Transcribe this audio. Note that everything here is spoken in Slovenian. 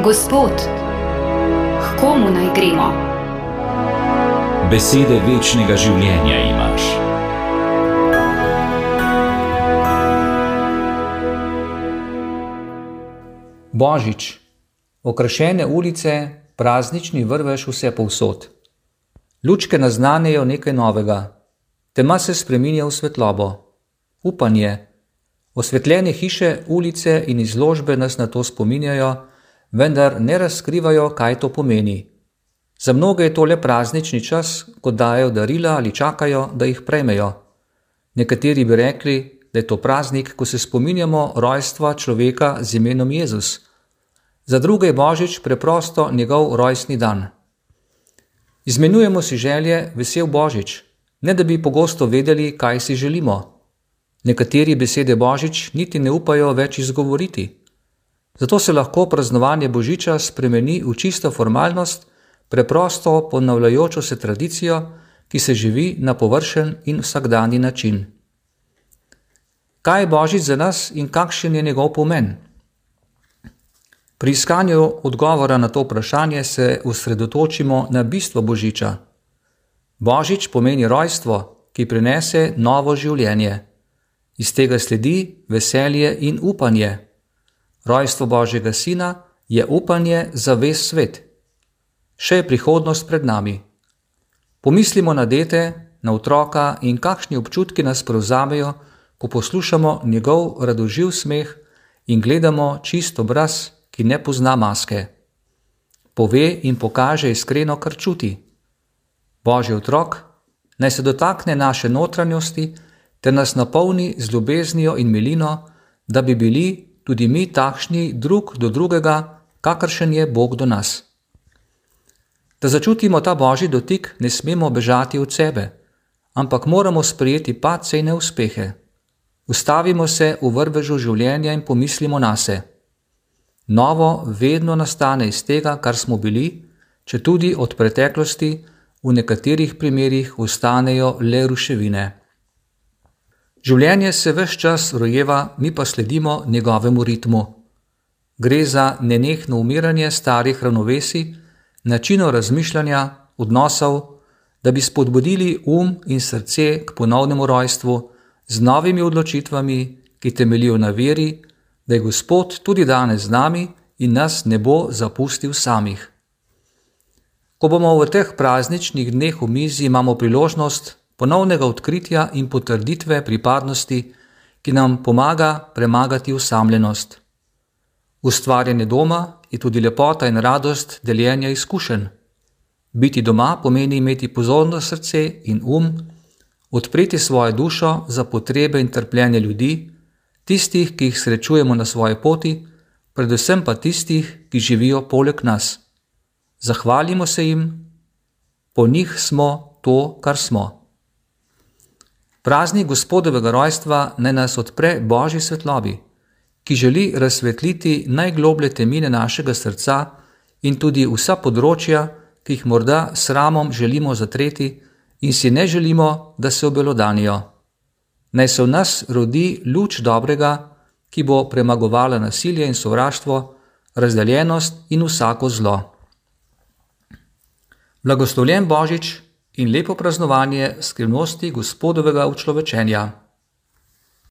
Gospod, k komu naj gremo? Besede večnega življenja imaš. Božič. Okrašene ulice, praznični vrvež vse povsod. Lučke naznanejo nekaj novega. Tema se spreminja v svetlobo. Upanje. Osvetljene hiše, ulice in izložbe nas na to spominjajo, vendar ne razkrivajo, kaj to pomeni. Za mnoge je to le praznični čas, ko dajo darila ali čakajo, da jih prejmejo. Nekateri bi rekli, da je to praznik, ko se spominjamo rojstva človeka z imenom Jezus. Za druge je Božič preprosto njegov rojstni dan. Izmenjujemo si želje, vesel Božič, ne da bi pogosto vedeli, kaj si želimo. Nekateri besede Božič niti ne upajo več izgovoriti. Zato se lahko praznovanje Božiča spremeni v čisto formalnost, preprosto ponavljajočo se tradicijo, ki se živi na površen in vsakdanji način. Kaj je Božič za nas in kakšen je njegov pomen? Pri iskanju odgovora na to vprašanje se osredotočimo na bistvo Božiča. Božič pomeni rojstvo, ki prinese novo življenje. Iz tega sledi veselje in upanje. Rojstvo Božjega Sina je upanje za ves svet. Še je prihodnost pred nami. Pomislimo na dete, na otroka in kakšni občutki nas prevzamejo, ko poslušamo njegov radoživ smeh in gledamo čist obraz, ki ne pozna maske. Pove in pokaže iskreno, kar čuti. Božji otrok naj se dotakne naše notranjosti ter nas napolni z ljubeznijo in milino, da bi bili tudi mi takšni drug do drugega, kakršen je Bog do nas. Da začutimo ta Božji dotik, ne smemo bežati od sebe, ampak moramo sprejeti padce in neuspehe. Ustavimo se v vrvežu življenja in pomislimo nase. Novo vedno nastane iz tega, kar smo bili, četudi od preteklosti v nekaterih primerih ostanejo le ruševine. Življenje se ves čas rojeva, mi pa sledimo njegovemu ritmu. Gre za nenehno umiranje starih ravnovesij, načinov razmišljanja, odnosov, da bi spodbudili in srce k ponovnemu rojstvu z novimi odločitvami, ki temeljijo na veri, da je Gospod tudi danes z nami in nas ne bo zapustil samih. Ko bomo v teh prazničnih dneh v mizi, imamo priložnost ponovnega odkritja in potrditve pripadnosti, ki nam pomaga premagati osamljenost. Ustvarjanje doma je tudi lepota in radost deljenja izkušenj. Biti doma pomeni imeti pozorno srce in odpreti svojo dušo za potrebe in trpljenje ljudi, tistih, ki jih srečujemo na svoji poti, predvsem pa tistih, ki živijo poleg nas. Zahvalimo se jim, po njih smo to, kar smo. Praznik Gospodovega rojstva naj nas odpre Božji svetlobi, ki želi razsvetliti najgloblje temine našega srca in tudi vsa področja, ki jih morda s sramom želimo zatreti in si ne želimo, da se obelodanijo. Naj se v nas rodi luč dobrega, ki bo premagovala nasilje in sovraštvo, razdeljenost in vsako zlo. Blagoslovljen Božič in lepo praznovanje skrivnosti Gospodovega učlovečenja.